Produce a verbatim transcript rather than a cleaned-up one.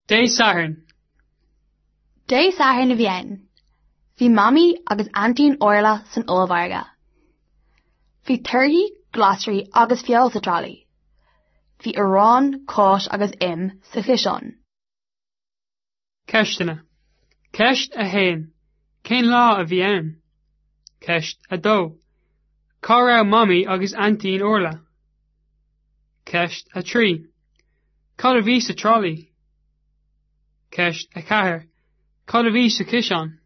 Dé Sathairn. Dé Sathairn a bhí ann. Bhí Mamaí agus Aintín Orla san ollmhargadh. Bhí torthaí, glasraí agus feoil sa trolley. Bhí arán, cáis agus im sa chiseán. Ceisteanna. Ceist a haon. Cén lá a bhí ann? Ceist a dó. Cá raibh Mamaí agus Aintín Orla? Ceist a trí. Cad a bhí sa trolley? Ceist a ceathair. Cad a bhí sa chiseán?